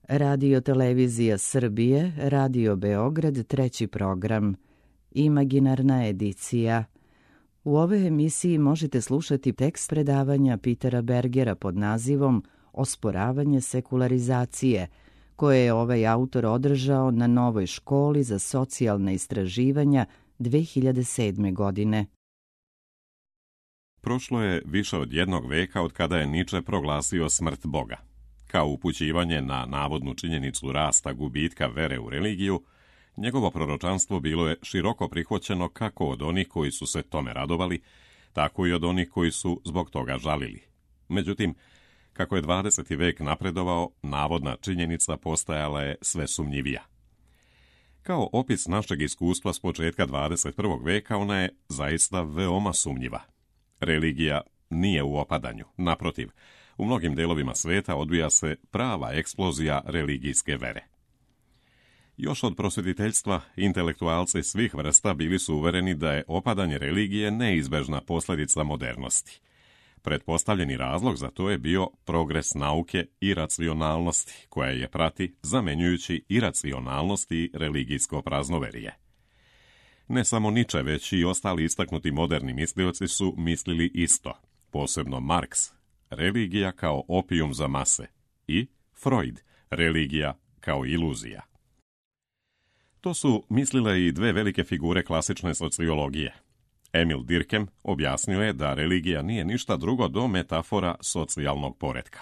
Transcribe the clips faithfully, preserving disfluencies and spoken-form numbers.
Radio Televizija Srbije, Radio Beograd, treći program, Imaginarna edicija. U ovoj emisiji možete slušati tekst predavanja Petera Bergera pod nazivom Osporavanje sekularizacije, koje je ovaj autor održao na Novoj školi za socijalna istraživanja dve hiljade sedme. godine. Prošlo je više od jednog veka od kada je Nietzsche proglasio smrt Boga. Kao upućivanje na navodnu činjenicu rasta gubitka vere u religiju, njegovo proročanstvo bilo je široko prihvaćeno kako od onih koji su se tome radovali, tako i od onih koji su zbog toga žalili. Međutim, kako je dvadeseti vek napredovao, navodna činjenica postajala je sve sumnjivija. Kao opis našeg iskustva s početka dvadeset prvog veka, ona je zaista veoma sumnjiva. Religija nije u opadanju, naprotiv, u mnogim delovima sveta odvija se prava eksplozija religijske vere. Još od prosvjetiteljstva, intelektualci svih vrsta bili su uvereni da je opadanje religije neizbežna posljedica modernosti. Pretpostavljeni razlog za to je bio progres nauke i racionalnosti, koja je prati zamenjujući iracionalnost i religijsko praznoverije. Ne samo Nietzsche, već i ostali istaknuti moderni mislioci su mislili isto, posebno Marks, religija kao opijum za mase, i Freud, religija kao iluzija. To su mislile i dve velike figure klasične sociologije. Emil Durkheim objasnio je da religija nije ništa drugo do metafora socijalnog poretka.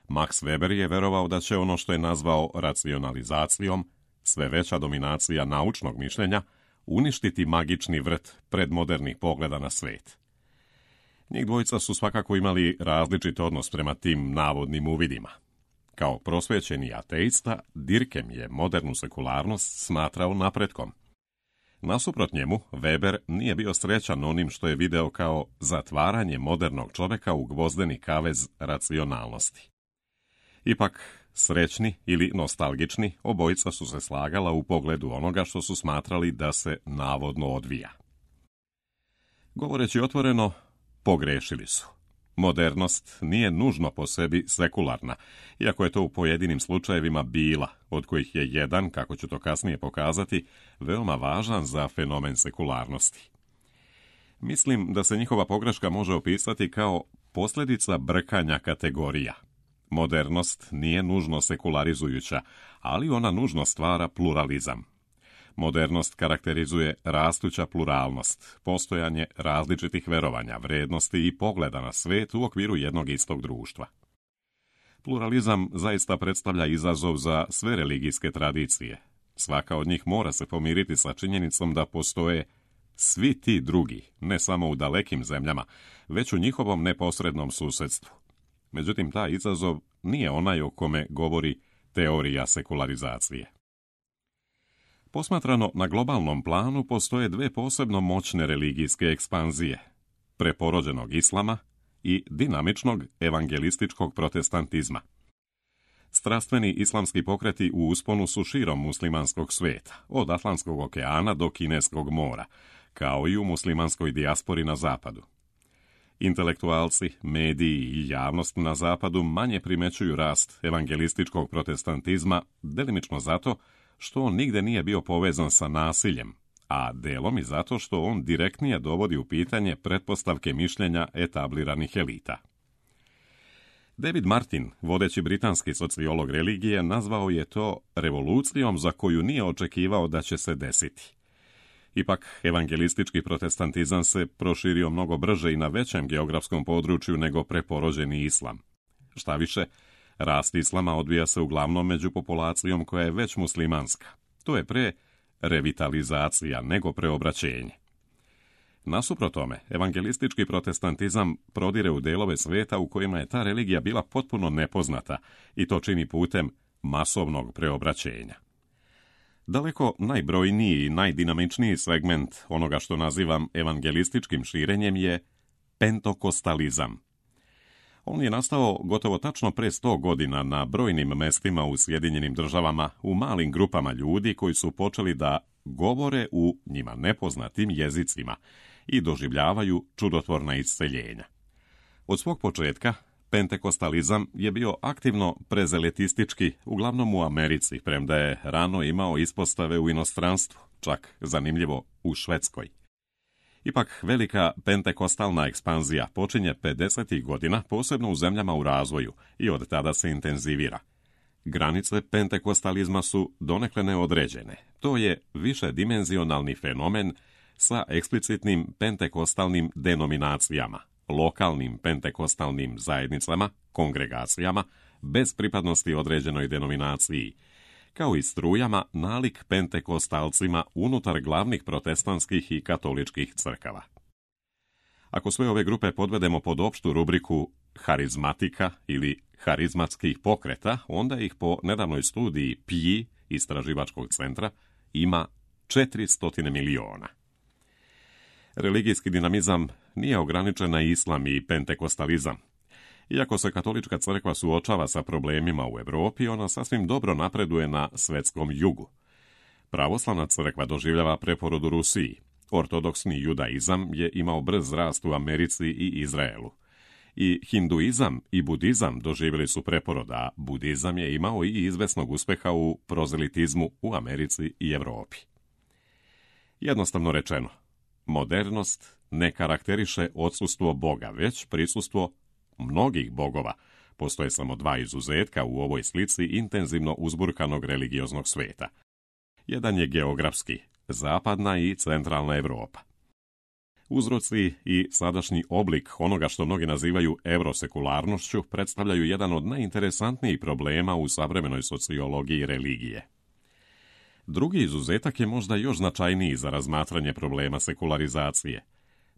Max Weber je verovao da će ono što je nazvao racionalizacijom, sve veća dominacija naučnog mišljenja, uništiti magični vrt predmodernih pogleda na svet. Njih dvojica su svakako imali različit odnos prema tim navodnim uvidima. Kao prosvećeni ateista, Durkheim je modernu sekularnost smatrao napretkom. Nasuprot njemu, Weber nije bio srećan onim što je video kao zatvaranje modernog čoveka u gvozdeni kavez racionalnosti. Ipak, srećni ili nostalgični, obojica su se slagala u pogledu onoga što su smatrali da se navodno odvija. Govoreći otvoreno, pogrešili su. Modernost nije nužno po sebi sekularna, iako je to u pojedinim slučajevima bila, od kojih je jedan, kako ću to kasnije pokazati, veoma važan za fenomen sekularnosti. Mislim da se njihova pogreška može opisati kao posljedica brkanja kategorija. Modernost nije nužno sekularizujuća, ali ona nužno stvara pluralizam. Modernost karakterizuje rastuća pluralnost, postojanje različitih verovanja, vrednosti i pogleda na svet u okviru jednog istog društva. Pluralizam zaista predstavlja izazov za sve religijske tradicije. Svaka od njih mora se pomiriti sa činjenicom da postoje svi ti drugi, ne samo u dalekim zemljama, već u njihovom neposrednom susjedstvu. Međutim, taj izazov nije onaj o kome govori teorija sekularizacije. Posmatrano na globalnom planu postoje dve posebno moćne religijske ekspanzije, preporođenog islama i dinamičnog evangelističkog protestantizma. Strastveni islamski pokreti u usponu su širom muslimanskog sveta, od Atlantskog okeana do Kineskog mora, kao i u muslimanskoj dijaspori na zapadu. Intelektualci, mediji i javnost na zapadu manje primećuju rast evangelističkog protestantizma, delimično zato što on nigde nije bio povezan sa nasiljem, a delom i zato što on direktnije dovodi u pitanje pretpostavke mišljenja etabliranih elita. David Martin, vodeći britanski sociolog religije, nazvao je to revolucijom za koju nije očekivao da će se desiti. Ipak, evangelistički protestantizam se proširio mnogo brže i na većem geografskom području nego preporođeni islam. Šta više, rast islama odvija se uglavnom među populacijom koja je već muslimanska. To je pre revitalizacija nego preobraćenje. Nasuprot tome, evangelistički protestantizam prodire u delove sveta u kojima je ta religija bila potpuno nepoznata i to čini putem masovnog preobraćenja. Daleko najbrojniji i najdinamičniji segment onoga što nazivam evangelističkim širenjem je pentokostalizam. On je nastao gotovo tačno pre sto godina na brojnim mestima u Sjedinjenim Državama u malim grupama ljudi koji su počeli da govore u njima nepoznatim jezicima i doživljavaju čudotvorna isceljenja. Od svog početka, Pentekostalizam je bio aktivno prezeletistički, uglavnom u Americi, premda je rano imao ispostave u inostranstvu, čak zanimljivo u Švedskoj. Ipak velika pentekostalna ekspanzija počinje pedesetih godina, posebno u zemljama u razvoju, i od tada se intenzivira. Granice pentekostalizma su donekle neodređene. To je višedimenzionalni fenomen sa eksplicitnim pentekostalnim denominacijama, lokalnim pentekostalnim zajednicama, kongregacijama, bez pripadnosti određenoj denominaciji, kao i strujama nalik pentekostalcima unutar glavnih protestantskih i katoličkih crkava. Ako sve ove grupe podvedemo pod opštu rubriku harizmatika ili harizmatskih pokreta, onda ih po nedavnoj studiji P I istraživačkog centra ima četiristo miliona. Religijski dinamizam nije ograničen na islam i pentekostalizam. Iako se katolička crkva suočava sa problemima u Europi, ona sasvim dobro napreduje na svetskom jugu. Pravoslavna crkva doživljava preporod u Rusiji. Ortodoksni judaizam je imao brz rast u Americi i Izraelu. I hinduizam i budizam doživjeli su preporod, a budizam je imao i izvesnog uspeha u prozelitizmu u Americi i Europi. Jednostavno rečeno, modernost ne karakteriše odsustvo Boga, već prisustvo mnogih bogova. Postoje samo dva izuzetka u ovoj slici intenzivno uzburkanog religioznog sveta. Jedan je geografski, zapadna i centralna Europa. Uzroci i sadašnji oblik onoga što mnogi nazivaju evrosekularnošću predstavljaju jedan od najinteresantnijih problema u savremenoj sociologiji religije. Drugi izuzetak je možda još značajniji za razmatranje problema sekularizacije.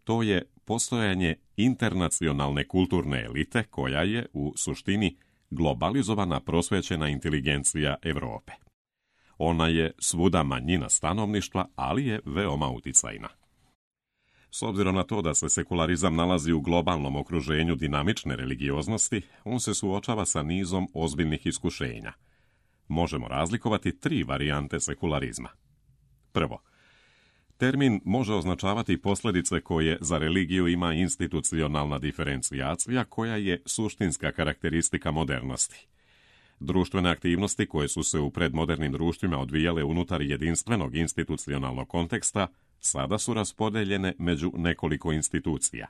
To je postojanje internacionalne kulturne elite koja je u suštini globalizovana prosvećena inteligencija Europe. Ona je svuda manjina stanovništva, ali je veoma uticajna. S obzirom na to da se sekularizam nalazi u globalnom okruženju dinamične religioznosti, on se suočava sa nizom ozbiljnih iskušenja. Možemo razlikovati tri varijante sekularizma. Prvo, termin može označavati posljedice koje za religiju ima institucionalna diferencijacija koja je suštinska karakteristika modernosti. Društvene aktivnosti koje su se u predmodernim društvima odvijale unutar jedinstvenog institucionalnog konteksta sada su raspodeljene među nekoliko institucija.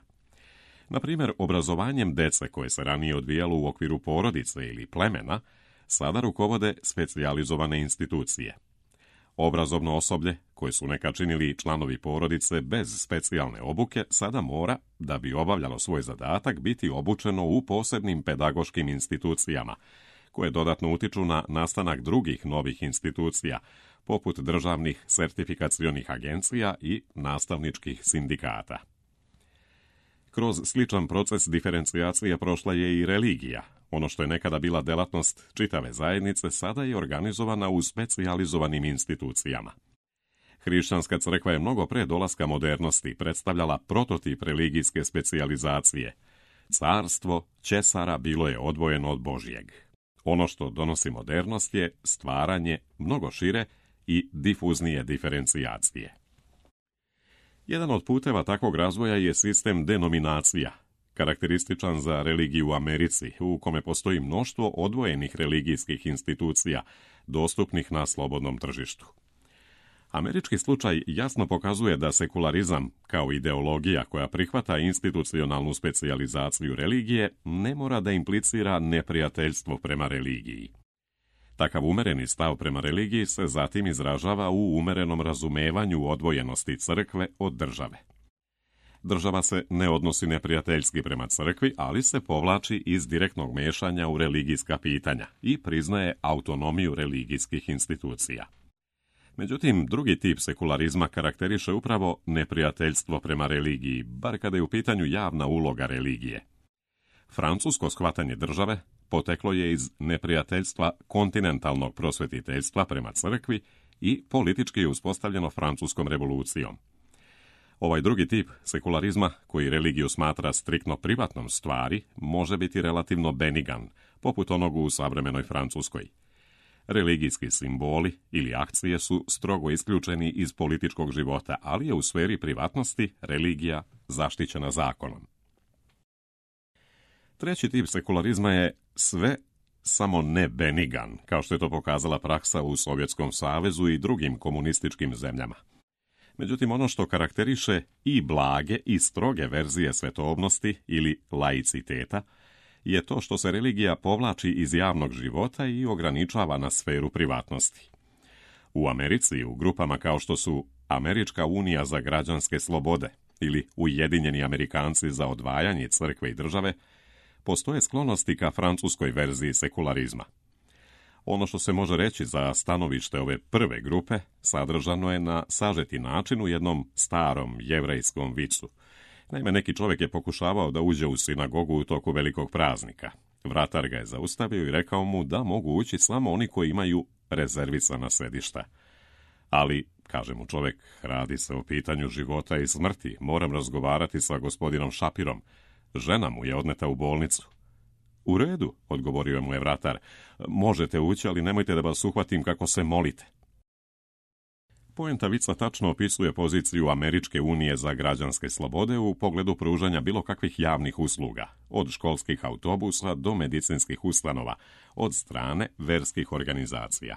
Na primjer, obrazovanjem dece koje se ranije odvijalo u okviru porodice ili plemena, sada rukovode specijalizovane institucije. Obrazovno osoblje, koje su nekad činili članovi porodice bez specijalne obuke, sada mora, da bi obavljalo svoj zadatak, biti obučeno u posebnim pedagoškim institucijama, koje dodatno utiču na nastanak drugih novih institucija, poput državnih sertifikacionih agencija i nastavničkih sindikata. Kroz sličan proces diferencijacije prošla je i religija. Ono što je nekada bila delatnost čitave zajednice, sada je organizovana u specijalizovanim institucijama. Hrišćanska crkva je mnogo pre dolaska modernosti predstavljala prototip religijske specijalizacije. Carstvo Ćesara bilo je odvojeno od Božjeg. Ono što donosi modernost je stvaranje mnogo šire i difuznije diferencijacije. Jedan od puteva takvog razvoja je sistem denominacija, karakterističan za religiju u Americi, u kome postoji mnoštvo odvojenih religijskih institucija, dostupnih na slobodnom tržištu. Američki slučaj jasno pokazuje da sekularizam, kao ideologija koja prihvata institucionalnu specijalizaciju religije, ne mora da implicira neprijateljstvo prema religiji. Takav umereni stav prema religiji se zatim izražava u umerenom razumevanju odvojenosti crkve od države. Država se ne odnosi neprijateljski prema crkvi, ali se povlači iz direktnog mešanja u religijska pitanja i priznaje autonomiju religijskih institucija. Međutim, drugi tip sekularizma karakteriše upravo neprijateljstvo prema religiji, bar kada je u pitanju javna uloga religije. Francusko shvatanje države poteklo je iz neprijateljstva kontinentalnog prosvetiteljstva prema crkvi i politički je uspostavljeno francuskom revolucijom. Ovaj drugi tip sekularizma, koji religiju smatra striktno privatnom stvari, može biti relativno benigan, poput onog u savremenoj Francuskoj. Religijski simboli ili akcije su strogo isključeni iz političkog života, ali je u sferi privatnosti religija zaštićena zakonom. Treći tip sekularizma je sve samo ne benigan, kao što je to pokazala praksa u Sovjetskom savezu i drugim komunističkim zemljama. Međutim, ono što karakteriše i blage i stroge verzije svetovnosti ili laiciteta je to što se religija povlači iz javnog života i ograničava na sferu privatnosti. U Americi, u grupama kao što su Američka unija za građanske slobode ili Ujedinjeni Amerikanci za odvajanje crkve i države, postoje sklonosti ka francuskoj verziji sekularizma. Ono što se može reći za stanovište ove prve grupe sadržano je na sažeti način u jednom starom jevrejskom vicu. Naime, neki čovjek je pokušavao da uđe u sinagogu u toku velikog praznika. Vratar ga je zaustavio i rekao mu da mogu ući samo oni koji imaju rezervisana sedišta. Ali, kaže mu čovjek, radi se o pitanju života i smrti, moram razgovarati sa gospodinom Šapirom. Žena mu je odneta u bolnicu. U redu, odgovorio mu je vratar, možete ući, ali nemojte da vas uhvatim kako se molite. Poenta vica tačno opisuje poziciju Američke unije za građanske slobode u pogledu pružanja bilo kakvih javnih usluga, od školskih autobusa do medicinskih ustanova, od strane verskih organizacija.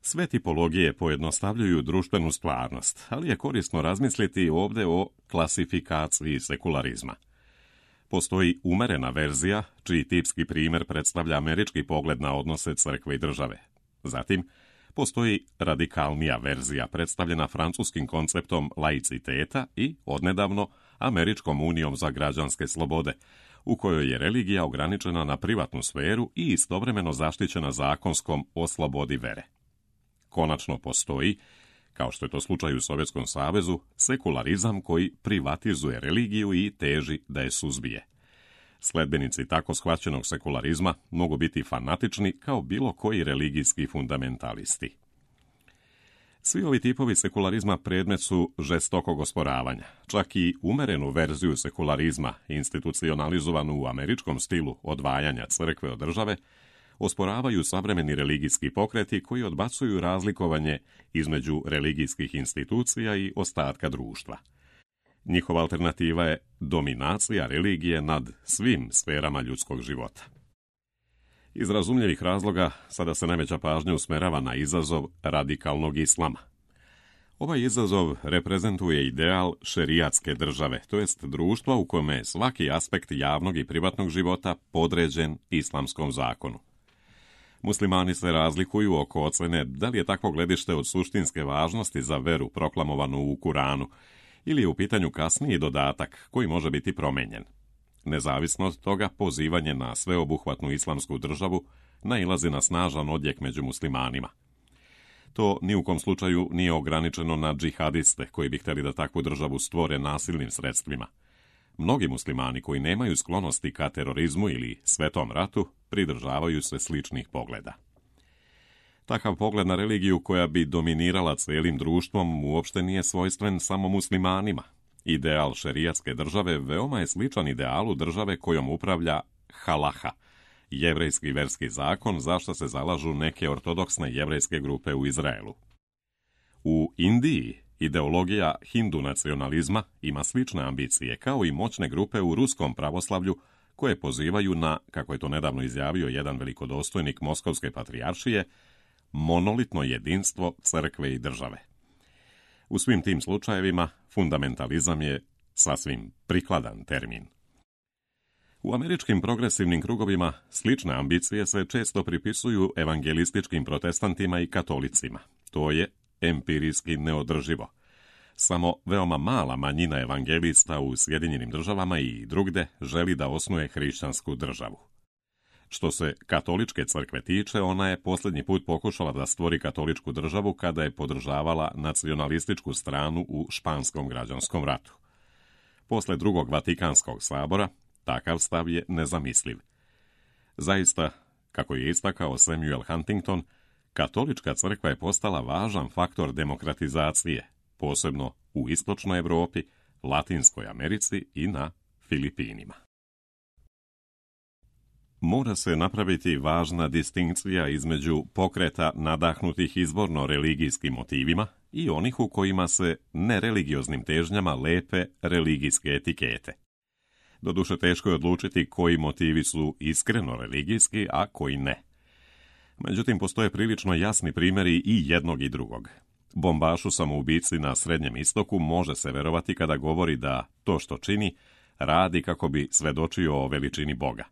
Sve tipologije pojednostavljuju društvenu stvarnost, ali je korisno razmisliti ovdje o klasifikaciji sekularizma. Postoji umerena verzija, čiji tipski primjer predstavlja američki pogled na odnose crkve i države. Zatim, postoji radikalnija verzija predstavljena francuskim konceptom laiciteta i, odnedavno, Američkom unijom za građanske slobode, u kojoj je religija ograničena na privatnu sferu i istovremeno zaštićena zakonskom o slobodi vere. Konačno postoji, kao što je to slučaj u Sovjetskom savezu, sekularizam koji privatizuje religiju i teži da je suzbije. Sledbenici tako shvaćenog sekularizma mogu biti fanatični kao bilo koji religijski fundamentalisti. Svi ovi tipovi sekularizma predmet su žestokog osporavanja. Čak i umerenu verziju sekularizma, institucionalizovanu u američkom stilu odvajanja crkve od države, osporavaju savremeni religijski pokreti koji odbacuju razlikovanje između religijskih institucija i ostatka društva. Njihova alternativa je dominacija religije nad svim sferama ljudskog života. Iz razumljivih razloga sada se najveća pažnja usmerava na izazov radikalnog islama. Ovaj izazov reprezentuje ideal šerijatske države, to jest društva u kome je svaki aspekt javnog i privatnog života podređen islamskom zakonu. Muslimani se razlikuju oko ocjene da li je takvo gledište od suštinske važnosti za veru proklamovanu u Kuranu ili je u pitanju kasniji dodatak koji može biti promenjen. Nezavisno od toga, pozivanje na sveobuhvatnu islamsku državu nailazi na snažan odjek među muslimanima. To ni u kom slučaju nije ograničeno na džihadiste koji bi htjeli da takvu državu stvore nasilnim sredstvima. Mnogi muslimani koji nemaju sklonosti ka terorizmu ili svetom ratu pridržavaju se sličnih pogleda. Takav pogled na religiju koja bi dominirala cijelim društvom uopšte nije svojstven samo muslimanima. Ideal šerijatske države veoma je sličan idealu države kojom upravlja halaha, jevrejski verski zakon za što se zalažu neke ortodoksne jevrejske grupe u Izraelu. U Indiji ideologija hindu nacionalizma ima slične ambicije kao i moćne grupe u ruskom pravoslavlju koje pozivaju na, kako je to nedavno izjavio jedan velikodostojnik Moskovske patrijaršije, monolitno jedinstvo crkve i države. U svim tim slučajevima fundamentalizam je sasvim prikladan termin. U američkim progresivnim krugovima slične ambicije se često pripisuju evangelističkim protestantima i katolicima. To je empirijski neodrživo. Samo veoma mala manjina evangelista u Sjedinjenim državama i drugde želi da osnuje hrišćansku državu. Što se katoličke crkve tiče, ona je posljednji put pokušala da stvori katoličku državu kada je podržavala nacionalističku stranu u Španskom građanskom ratu. Posle drugog Vatikanskog sabora, takav stav je nezamisliv. Zaista, kako je istakao Samuel Huntington, katolička crkva je postala važan faktor demokratizacije, posebno u istočnoj Europi, Latinskoj Americi i na Filipinima. Mora se napraviti važna distinkcija između pokreta nadahnutih izvorno religijskim motivima i onih u kojima se nereligioznim težnjama lepe religijske etikete. Doduše, teško je odlučiti koji motivi su iskreno religijski, a koji ne. Međutim, postoje prilično jasni primjeri i jednog i drugog. Bombašu samoubici na Srednjem istoku može se verovati kada govori da to što čini radi kako bi svedočio o veličini Boga.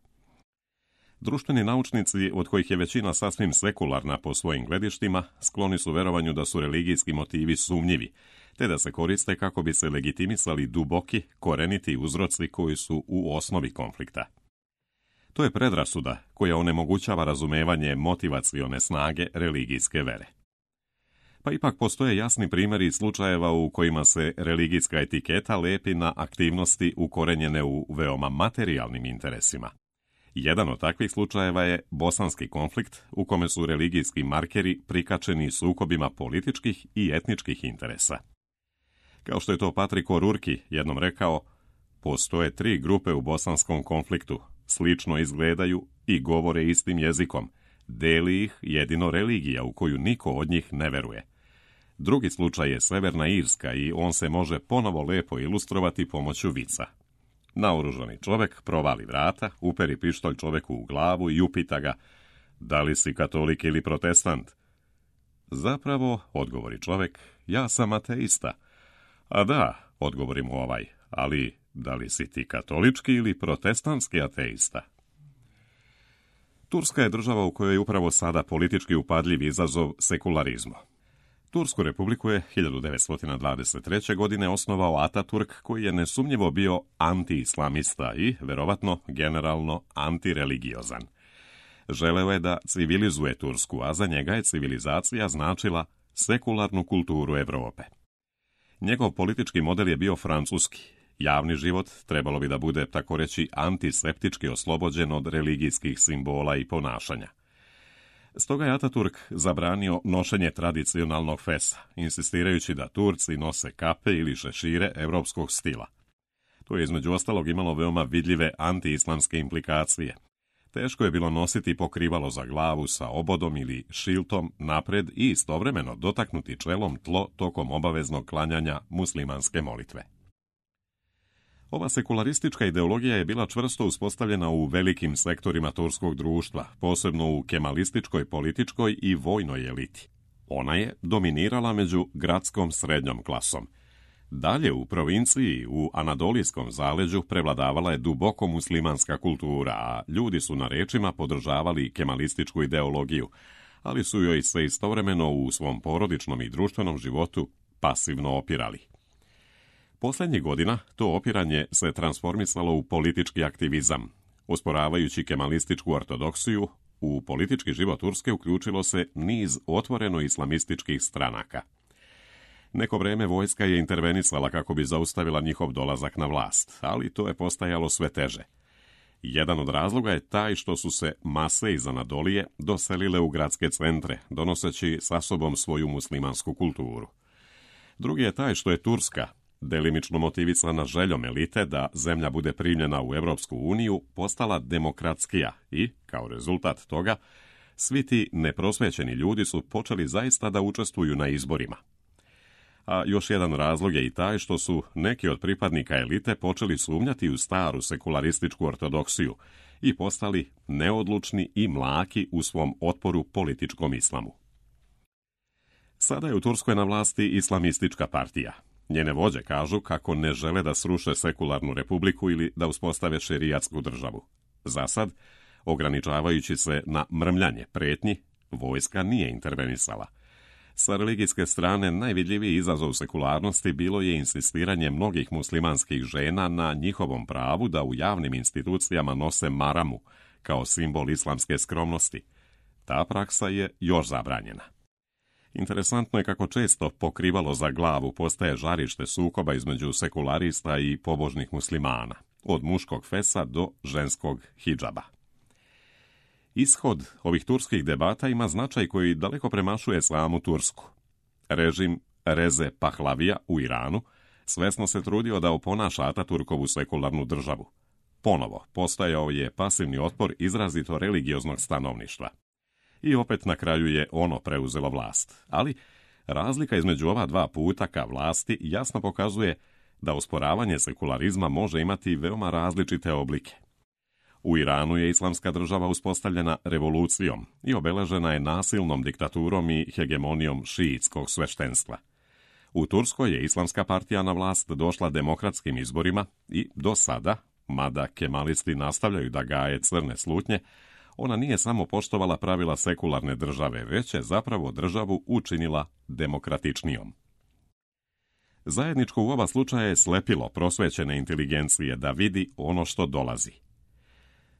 Društveni naučnici, od kojih je većina sasvim sekularna po svojim gledištima, skloni su verovanju da su religijski motivi sumnjivi, te da se koriste kako bi se legitimisali duboki, koreniti uzroci koji su u osnovi konflikta. To je predrasuda koja onemogućava razumevanje motivacione snage religijske vere. Pa ipak postoje jasni primjeri slučajeva u kojima se religijska etiketa lepi na aktivnosti ukorenjene u veoma materijalnim interesima. Jedan od takvih slučajeva je bosanski konflikt u kome su religijski markeri prikačeni sukobima političkih i etničkih interesa. Kao što je to Patrik O'Rourke jednom rekao, postoje tri grupe u bosanskom konfliktu, slično izgledaju i govore istim jezikom, deli ih jedino religija u koju niko od njih ne veruje. Drugi slučaj je Severna Irska i on se može ponovo lepo ilustrovati pomoću vica. Naoružani čovjek provali vrata, uperi pištolj čovjeku u glavu i upita ga, da li si katolik ili protestant? Zapravo, odgovori čovjek, ja sam ateista. A da, odgovori mu ovaj, ali da li si ti katolički ili protestantski ateista? Turska je država u kojoj je upravo sada politički upadljiv izazov sekularizmu. Tursku republiku je hiljadu devetsto dvadeset treće. godine osnovao Ataturk, koji je nesumnjivo bio anti-islamista i, verovatno, generalno antireligiozan. Želeo je da civilizuje Tursku, a za njega je civilizacija značila sekularnu kulturu Evrope. Njegov politički model je bio francuski. Javni život trebalo bi da bude, tako reći, antiseptički oslobođen od religijskih simbola i ponašanja. Stoga je Ataturk zabranio nošenje tradicionalnog fesa, insistirajući da Turci nose kape ili šešire evropskog stila. To je između ostalog imalo veoma vidljive anti-islamske implikacije. Teško je bilo nositi pokrivalo za glavu sa obodom ili šiltom napred i istovremeno dotaknuti čelom tlo tokom obaveznog klanjanja muslimanske molitve. Ova sekularistička ideologija je bila čvrsto uspostavljena u velikim sektorima turskog društva, posebno u kemalističkoj, političkoj i vojnoj eliti. Ona je dominirala među gradskom srednjom klasom. Dalje u provinciji, u Anadolijskom zaleđu, prevladavala je duboko muslimanska kultura, a ljudi su na rečima podržavali kemalističku ideologiju, ali su joj se istovremeno u svom porodičnom i društvenom životu pasivno opirali. Posljednjih godina to opiranje se transformisalo u politički aktivizam. Osporavajući kemalističku ortodoksiju, u politički život Turske uključilo se niz otvoreno islamističkih stranaka. Neko vrijeme vojska je intervenisala kako bi zaustavila njihov dolazak na vlast, ali to je postajalo sve teže. Jedan od razloga je taj što su se mase iz Anadolije doselile u gradske centre, donoseći sa sobom svoju muslimansku kulturu. Drugi je taj što je Turska, delimično motivisana željom elite da zemlja bude primljena u Europsku uniju, postala demokratskija i, kao rezultat toga, svi ti neprosvećeni ljudi su počeli zaista da učestvuju na izborima. A još jedan razlog je i taj što su neki od pripadnika elite počeli sumnjati u staru sekularističku ortodoksiju i postali neodlučni i mlaki u svom otporu političkom islamu. Sada je u Turskoj na vlasti islamistička partija. Njene vođe kažu kako ne žele da sruše sekularnu republiku ili da uspostave šerijatsku državu. Zasad, ograničavajući se na mrmljanje pretnji, vojska nije intervenisala. Sa religijske strane najvidljiviji izazov sekularnosti bilo je insistiranje mnogih muslimanskih žena na njihovom pravu da u javnim institucijama nose maramu kao simbol islamske skromnosti. Ta praksa je još zabranjena. Interesantno je kako često pokrivalo za glavu postaje žarište sukoba između sekularista i pobožnih muslimana, od muškog fesa do ženskog hidžaba. Ishod ovih turskih debata ima značaj koji daleko premašuje samu Tursku. Režim Reze Pahlavija u Iranu svesno se trudio da oponaša Ataturkovu sekularnu državu. Ponovo, postajao je pasivni otpor izrazito religioznog stanovništva. I opet na kraju je ono preuzelo vlast. Ali razlika između ova dva puta ka vlasti jasno pokazuje da osporavanje sekularizma može imati veoma različite oblike. U Iranu je islamska država uspostavljena revolucijom i obeležena je nasilnom diktaturom i hegemonijom šiitskog sveštenstva. U Turskoj je islamska partija na vlast došla demokratskim izborima i do sada, mada kemalisti nastavljaju da gaje crne slutnje, ona nije samo poštovala pravila sekularne države, već je zapravo državu učinila demokratičnijom. Zajedničko u oba slučaja je slepilo prosvećene inteligencije da vidi ono što dolazi.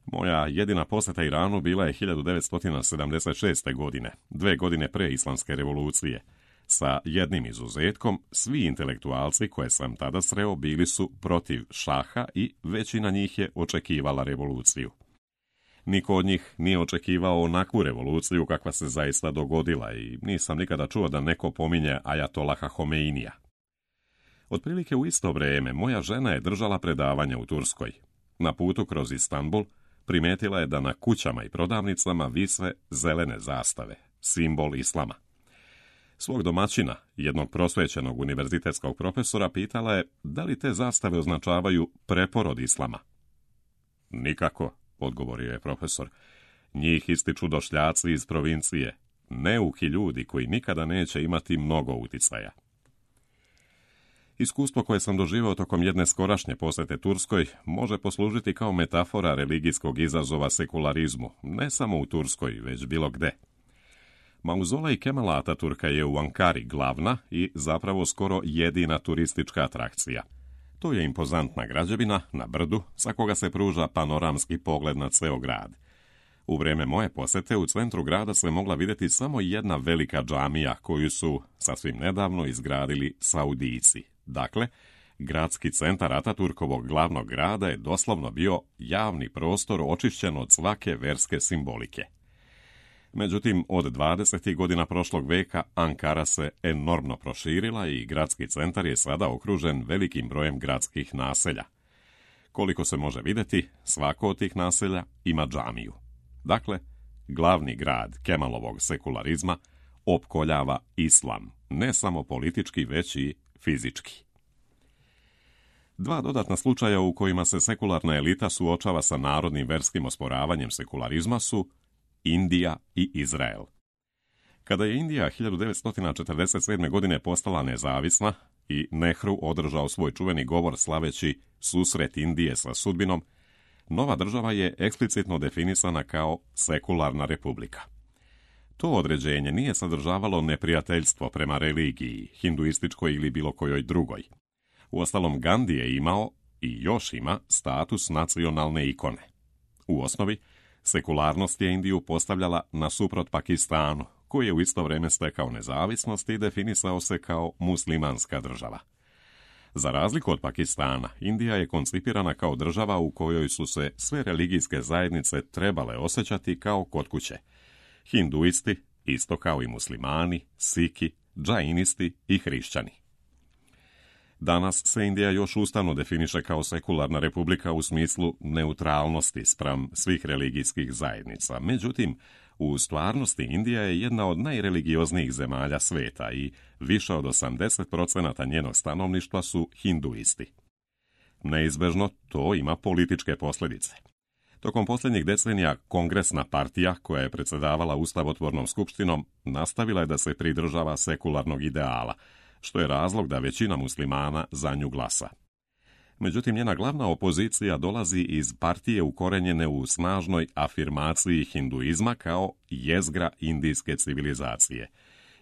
Moja jedina posjeta Iranu bila je hiljadu devetsto sedamdeset šeste. godine, dve godine pre islamske revolucije. Sa jednim izuzetkom, svi intelektualci koje sam tada sreo bili su protiv šaha i većina njih je očekivala revoluciju. Niko od njih nije očekivao onakvu revoluciju kakva se zaista dogodila i nisam nikada čuo da neko pominje Ajatolaha Homeinija. Otprilike u isto vrijeme moja žena je držala predavanja u Turskoj. Na putu kroz Istanbul primetila je da na kućama i prodavnicama vise zelene zastave, simbol islama. Svog domaćina, jednog prosvećenog univerzitetskog profesora, pitala je da li te zastave označavaju preporod islama. Nikako, odgovorio je profesor. Njih ističu došljaci iz provincije, neuki ljudi koji nikada neće imati mnogo uticaja. Iskustvo koje sam doživio tokom jedne skorašnje posjete Turskoj može poslužiti kao metafora religijskog izazova sekularizmu, ne samo u Turskoj, već bilo gde. Mauzolej Kemala Ataturka je u Ankari glavna i zapravo skoro jedina turistička atrakcija. To je impozantna građevina na brdu sa koga se pruža panoramski pogled na ceo grad. U vrijeme moje posjete u centru grada se mogla vidjeti samo jedna velika džamija koju su sasvim nedavno izgradili Saudijci. Dakle, gradski centar Ataturkovog glavnog grada je doslovno bio javni prostor očišćen od svake verske simbolike. Međutim, od dvadesetih godina prošlog veka Ankara se enormno proširila i gradski centar je sada okružen velikim brojem gradskih naselja. Koliko se može vidjeti, svako od tih naselja ima džamiju. Dakle, glavni grad Kemalovog sekularizma opkoljava islam, ne samo politički, već i fizički. Dva dodatna slučaja u kojima se sekularna elita suočava sa narodnim verskim osporavanjem sekularizma su Indija i Izrael. Kada je Indija hiljadu devetsto četrdeset sedme. godine postala nezavisna i Nehru održao svoj čuveni govor slaveći susret Indije sa sudbinom, nova država je eksplicitno definisana kao sekularna republika. To određenje nije sadržavalo neprijateljstvo prema religiji, hinduističkoj ili bilo kojoj drugoj. Uostalom, Gandhi je imao i još ima status nacionalne ikone. U osnovi, sekularnost je Indiju postavljala nasuprot Pakistanu, koji je u isto vrijeme stekao nezavisnost i definisao se kao muslimanska država. Za razliku od Pakistana, Indija je koncipirana kao država u kojoj su se sve religijske zajednice trebale osjećati kao kod kuće. Hinduisti, isto kao i muslimani, Siki, džainisti i hrišćani. Danas se Indija još ustavno definiše kao sekularna republika u smislu neutralnosti spram svih religijskih zajednica. Međutim, u stvarnosti Indija je jedna od najreligioznijih zemalja sveta i više od osamdeset posto njenog stanovništva su hinduisti. Neizbežno to ima političke posljedice. Tokom posljednjih decenija Kongresna partija, koja je predsjedavala Ustavotvornom skupštinom, nastavila je da se pridržava sekularnog ideala, što je razlog da većina muslimana za nju glasa. Međutim, njena glavna opozicija dolazi iz partije ukorenjene u snažnoj afirmaciji hinduizma kao jezgra indijske civilizacije.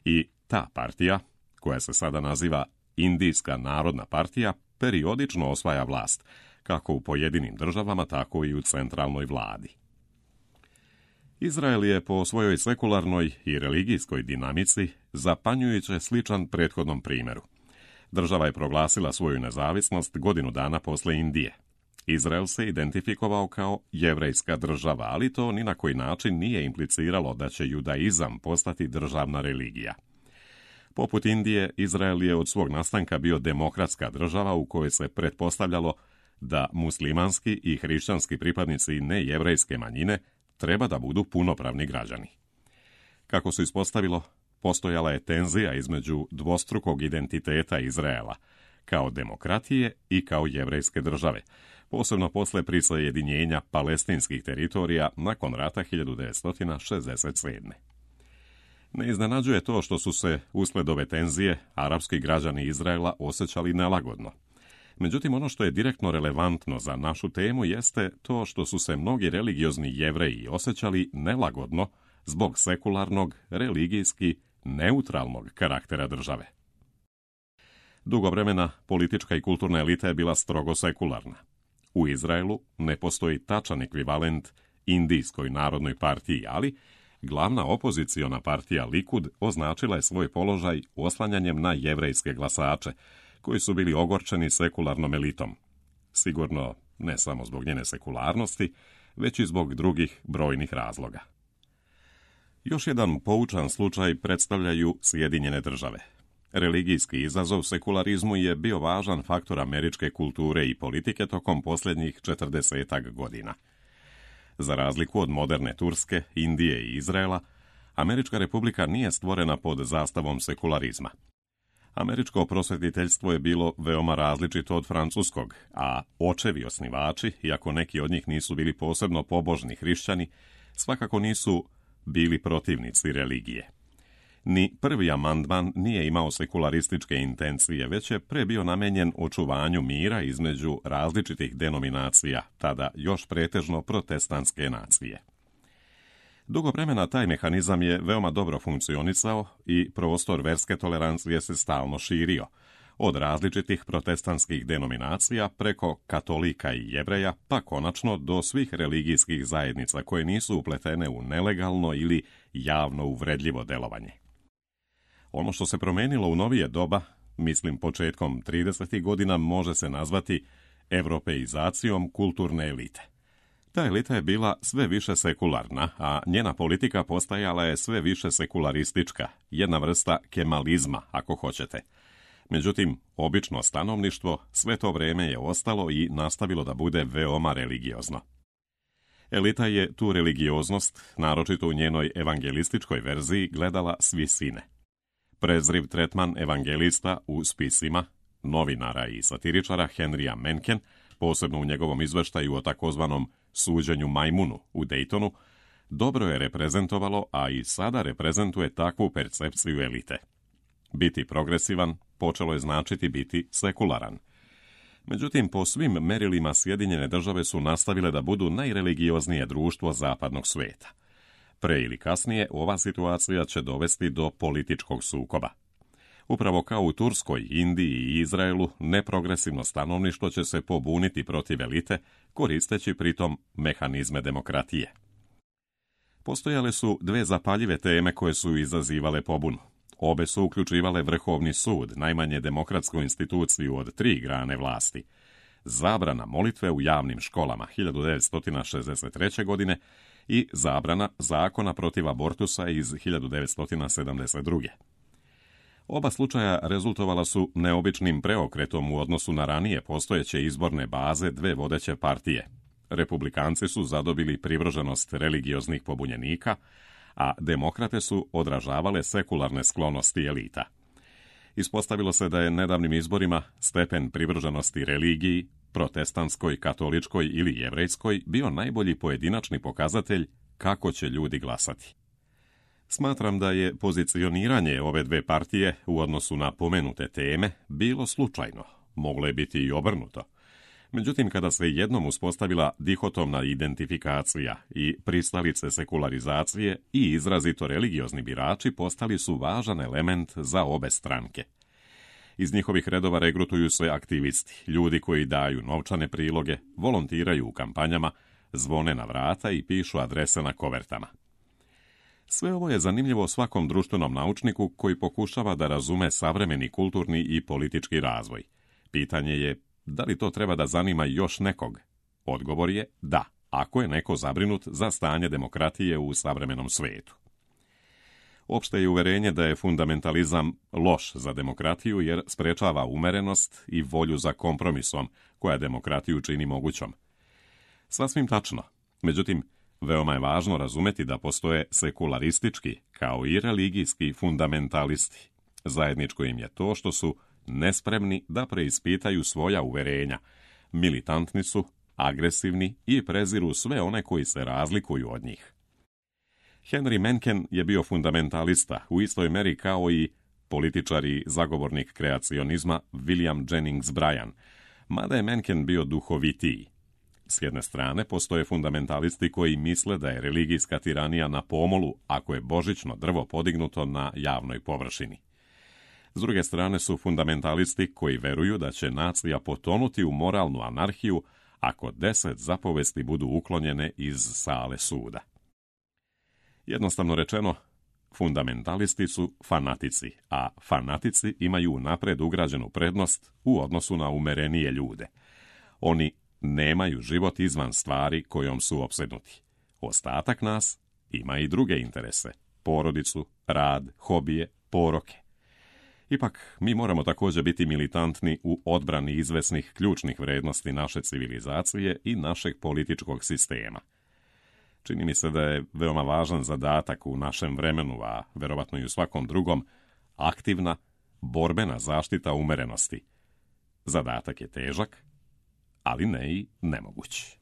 I ta partija, koja se sada naziva Indijska narodna partija, periodično osvaja vlast, kako u pojedinim državama, tako i u centralnoj vladi. Izrael je po svojoj sekularnoj i religijskoj dinamici zapanjujuće sličan prethodnom primjeru. Država je proglasila svoju nezavisnost godinu dana posle Indije. Izrael se identifikovao kao jevrejska država, ali to ni na koji način nije impliciralo da će judaizam postati državna religija. Poput Indije, Izrael je od svog nastanka bio demokratska država u kojoj se pretpostavljalo da muslimanski i hrišćanski pripadnici nejevrejske manjine treba da budu punopravni građani. Kako se ispostavilo, postojala je tenzija između dvostrukog identiteta Izraela, kao demokratije i kao jevrejske države, posebno posle prisajedinjenja palestinskih teritorija nakon rata hiljadu devetsto šezdeset sedme. Ne iznenađuje to što su se, usled ove tenzije, arapski građani Izraela osjećali nelagodno. Međutim, ono što je direktno relevantno za našu temu jeste to što su se mnogi religiozni Jevreji osjećali nelagodno zbog sekularnog, religijski, neutralnog karaktera države. Dugo vremena politička i kulturna elita je bila strogo sekularna. U Izraelu ne postoji tačan ekvivalent Indijskoj narodnoj partiji, ali glavna opoziciona partija Likud označila je svoj položaj oslanjanjem na jevrejske glasače, koji su bili ogorčeni sekularnom elitom. Sigurno ne samo zbog njene sekularnosti, već i zbog drugih brojnih razloga. Još jedan poučan slučaj predstavljaju Sjedinjene države. Religijski izazov sekularizmu je bio važan faktor američke kulture i politike tokom posljednjih četrdesetak godina. Za razliku od moderne Turske, Indije i Izraela, Američka republika nije stvorena pod zastavom sekularizma. Američko prosvjetiteljstvo je bilo veoma različito od francuskog, a očevi osnivači, iako neki od njih nisu bili posebno pobožni hrišćani, svakako nisu bili protivnici religije. Ni prvi amandman nije imao sekularističke intencije, već je pre bio namenjen očuvanju mira između različitih denominacija, tada još pretežno protestantske nacije. Dugo vremena taj mehanizam je veoma dobro funkcionisao i prostor verske tolerancije se stalno širio, od različitih protestantskih denominacija preko katolika i jevreja, pa konačno do svih religijskih zajednica koje nisu upletene u nelegalno ili javno uvredljivo delovanje. Ono što se promenilo u novije doba, mislim početkom tridesetih godina, može se nazvati evropeizacijom kulturne elite. Ta elita je bila sve više sekularna, a njena politika postajala je sve više sekularistička, jedna vrsta kemalizma, ako hoćete. Međutim, obično stanovništvo sve to vreme je ostalo i nastavilo da bude veoma religiozno. Elita je tu religioznost, naročito u njenoj evangelističkoj verziji, gledala s visine. Prezriv tretman evangelista u spisima, novinara i satiričara Henrya Mencken, posebno u njegovom izveštaju o takozvanom suđenju majmunu u Daytonu, dobro je reprezentovalo, a i sada reprezentuje takvu percepciju elite. Biti progresivan počelo je značiti biti sekularan. Međutim, po svim merilima Sjedinjene države su nastavile da budu najreligioznije društvo zapadnog svijeta. Pre ili kasnije ova situacija će dovesti do političkog sukoba. Upravo kao u Turskoj, Indiji i Izraelu, neprogresivno stanovništvo će se pobuniti protiv elite, koristeći pritom mehanizme demokratije. Postojale su dve zapaljive teme koje su izazivale pobunu. Obe su uključivale Vrhovni sud, najmanje demokratsku instituciju od tri grane vlasti. Zabrana molitve u javnim školama hiljadu devetsto šezdeset treće. godine i zabrana zakona protiv abortusa iz hiljadu devetsto sedamdeset druge. Oba slučaja rezultovala su neobičnim preokretom u odnosu na ranije postojeće izborne baze dve vodeće partije. Republikanci su zadobili privrženost religioznih pobunjenika, a demokrate su odražavale sekularne sklonosti elita. Ispostavilo se da je nedavnim izborima stepen privrženosti religiji, protestantskoj, katoličkoj ili jevrejskoj, bio najbolji pojedinačni pokazatelj kako će ljudi glasati. Smatram da je pozicioniranje ove dve partije u odnosu na pomenute teme bilo slučajno, moglo je biti i obrnuto. Međutim, kada se jednom uspostavila dihotomna identifikacija i pristalice sekularizacije i izrazito religiozni birači postali su važan element za obe stranke. Iz njihovih redova regrutuju se aktivisti, ljudi koji daju novčane priloge, volontiraju u kampanjama, zvone na vrata i pišu adrese na kovertama. Sve ovo je zanimljivo svakom društvenom naučniku koji pokušava da razume savremeni kulturni i politički razvoj. Pitanje je, da li to treba da zanima još nekog? Odgovor je da, ako je neko zabrinut za stanje demokratije u savremenom svijetu. Opšte je uverenje da je fundamentalizam loš za demokratiju jer sprečava umerenost i volju za kompromisom koja demokratiju čini mogućom. Sasvim tačno. Međutim, veoma je važno razumeti da postoje sekularistički kao i religijski fundamentalisti. Zajedničko im je to što su nespremni da preispitaju svoja uverenja, militantni su, agresivni i preziru sve one koji se razlikuju od njih. Henry Mencken je bio fundamentalista u istoj meri kao i političar i zagovornik kreacionizma William Jennings Bryan, mada je Mencken bio duhovitiji. S jedne strane, postoje fundamentalisti koji misle da je religijska tiranija na pomolu ako je božićno drvo podignuto na javnoj površini. S druge strane su fundamentalisti koji veruju da će nacija potonuti u moralnu anarhiju ako deset zapovesti budu uklonjene iz sale suda. Jednostavno rečeno, fundamentalisti su fanatici, a fanatici imaju napred ugrađenu prednost u odnosu na umerenije ljude. Oni nemaju život izvan stvari kojom su opsednuti. Ostatak nas ima i druge interese, porodicu, rad, hobije, poroke. Ipak, mi moramo također biti militantni u odbrani izvesnih ključnih vrednosti naše civilizacije i našeg političkog sistema. Čini mi se da je veoma važan zadatak u našem vremenu, a verovatno i u svakom drugom, aktivna, borbena zaštita umerenosti. Zadatak je težak, ali ne i nemoguć.